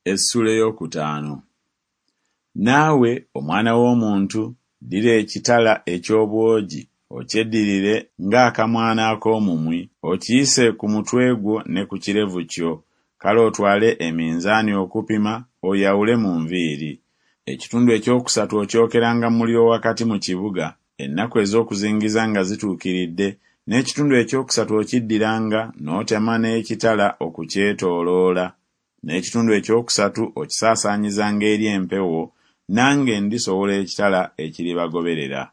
Essuula ey'okutaano. Naawe, omwana w'omuntu, ddira ekitala eky'obwogi, okyeddirire ng'akamwano ak'omumwi, okiyise ku mutwe gwo ne ku kirevu kyo, kale otwale eminzaani okupima, oyawule mu nviiri. Ekitundu ekyokusatu okyokeranga mu muliro wakati mu kibuga, ennaku ez'okuzingiza nga zituukiridde, n'ekitundu ekyokusatu okiddiranga n'otema n'ekitala okukyetooloola, n'ekitundu ekyokusatu okisaasaanyizanga eri empewo, nange ndisowola ekitala ekiribagoberera.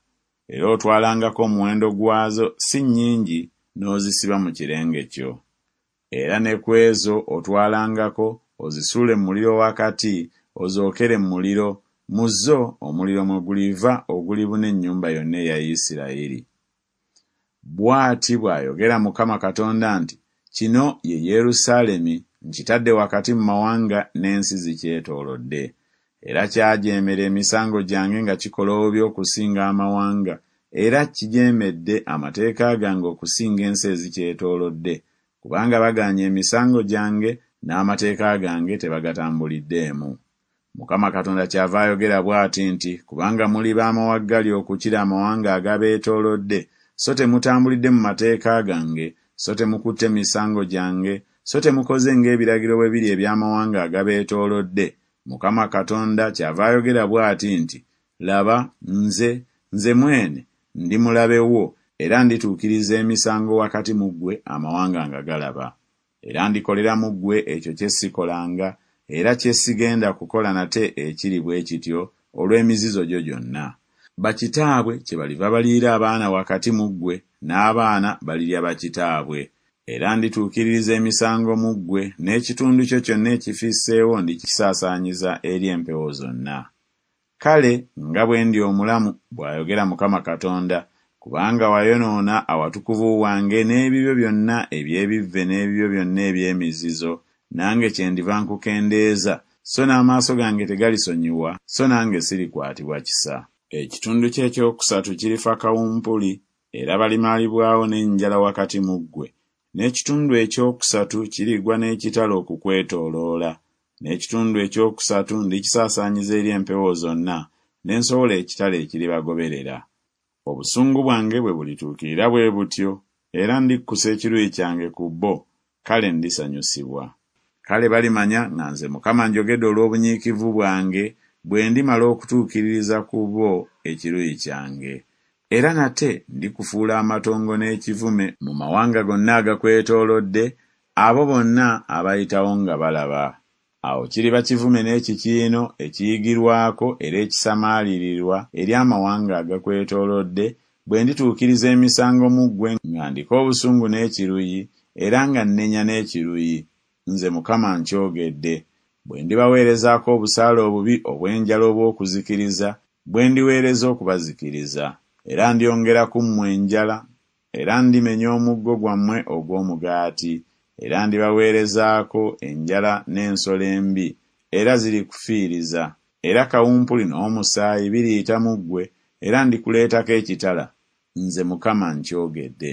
Era otwalangako omuwendo gwazo si nnyingi n'ozisiba mu kirenge kyo. Era ne ku ezo otwalangako, ozisuule mu muliro wakati, ozookere mu muliro, mu zo omuliro mwe guliva ogulibuna ennyumba yonna eya Isirayiri. Bw'ati bw'ayogera Mukama Katonda nti Kino ye Yerusaalemi, nkitadde wakati mu mawanga n'ensi zikyetoolodde. Era kyajeemera emisango gyange nga kikola obubi okusinga amawanga, era kijeemedde amateeka gange okusinga ensi ezikyetoolodde, kubanga bagaanye emisango gyange, n'amateeka gange tebagatambuliddeemu. Mukama Katonda kyava ayogera bw'ati nti, Kubanga muli b'amawaggali okukira amawanga agabeetoolodde, so temutambulidde mu mateeka gange, so temukutte misango gyange, so temukoze ng'ebiragiro bwe biri eby'amawanga agabeetoolodde, Mukama Katonda kyava ayogera bw'ati nti, Laba, nze, nze mwene, ndi mulabe wo, era ndituukiriza emisango wakati mu ggwe amawanga nga galaba. Era ndikolera mu ggwe ekyo kye sikolanga, era kye sigenda kukola nate ekiri bwe kityo olw'emizizo gyo gyonna. Bakitaabwe kyebaliva baliira abaana wakati mu ggwe, n'abaana balirya bakitaabwe. Era ndituukiririza emisango mu ggwe, n'ekitundu kyo kyonna ekifisseewo ndikisaasaanyiza eri empewo zonna. Kale, nga bwe ndi omulamu, bw'ayogera Mukama Katonda, kubanga wayonoona awatukuvu wange n'ebibyo byonna eby'ebivve n'ebibyo byonna eby'emizizo, nange kyendiva nkukendeeza, so n'amaaso gange tegalisonyiwa, so nange sirikwatibwa kisa. Ekitundu kyo ekyokusatu kirifa kawumpuli, era balimalibwawo n'enjala wakati mu ggwe, n'ekitundu ekyokusatu kirigwa n'ekitala okukwetooloola, n'ekitundu ekyokusatu ndikisaasaanyiza eri empewo zonna, ne nsowola ekitala ekiribagoberera. Obusungu bwange bwe bulituukirira bwe butyo, era ndikkusa ekiruyi kyange ku bo, kale ndisanyusibwa. Kale balimanya nga nze Mukama njogedde olw'obunyiikivu bwange, bwe ndimala okutuukiririza ku bo ekiruyi kyange. Era nate ndikufuula amatongo n'ekivume mu mawanga gonna agakwetoolodde, abo bonna abayitawo nga balaba. Awo kiriba kivume n'ekikiino ekiyigirwako era ekisamaalirirwa eri amawanga agakwetoolodde, bwe ndituukiriza emisango mu ggwe nga ndiko obusungu n'ekiruyi, era nga nnenya n'ekiruyi, nze Mukama nkyogedde, bwe ndibaweerezaako obusaale obubi obw'enjala obw'okuzikiriza, bwe ndiweereza okubazikiriza. Era ndyongera ku mmwe enjala, era ndimenya omuggo gwammwe ogw'omugaati, era ndibaweerezaako enjala n'ensolo embi, era zirikufiiriza, era kawumpuli n'omusaayi biriyita mu ggwe, era ndikuleetako ekitala, nze Mukama nkyogedde.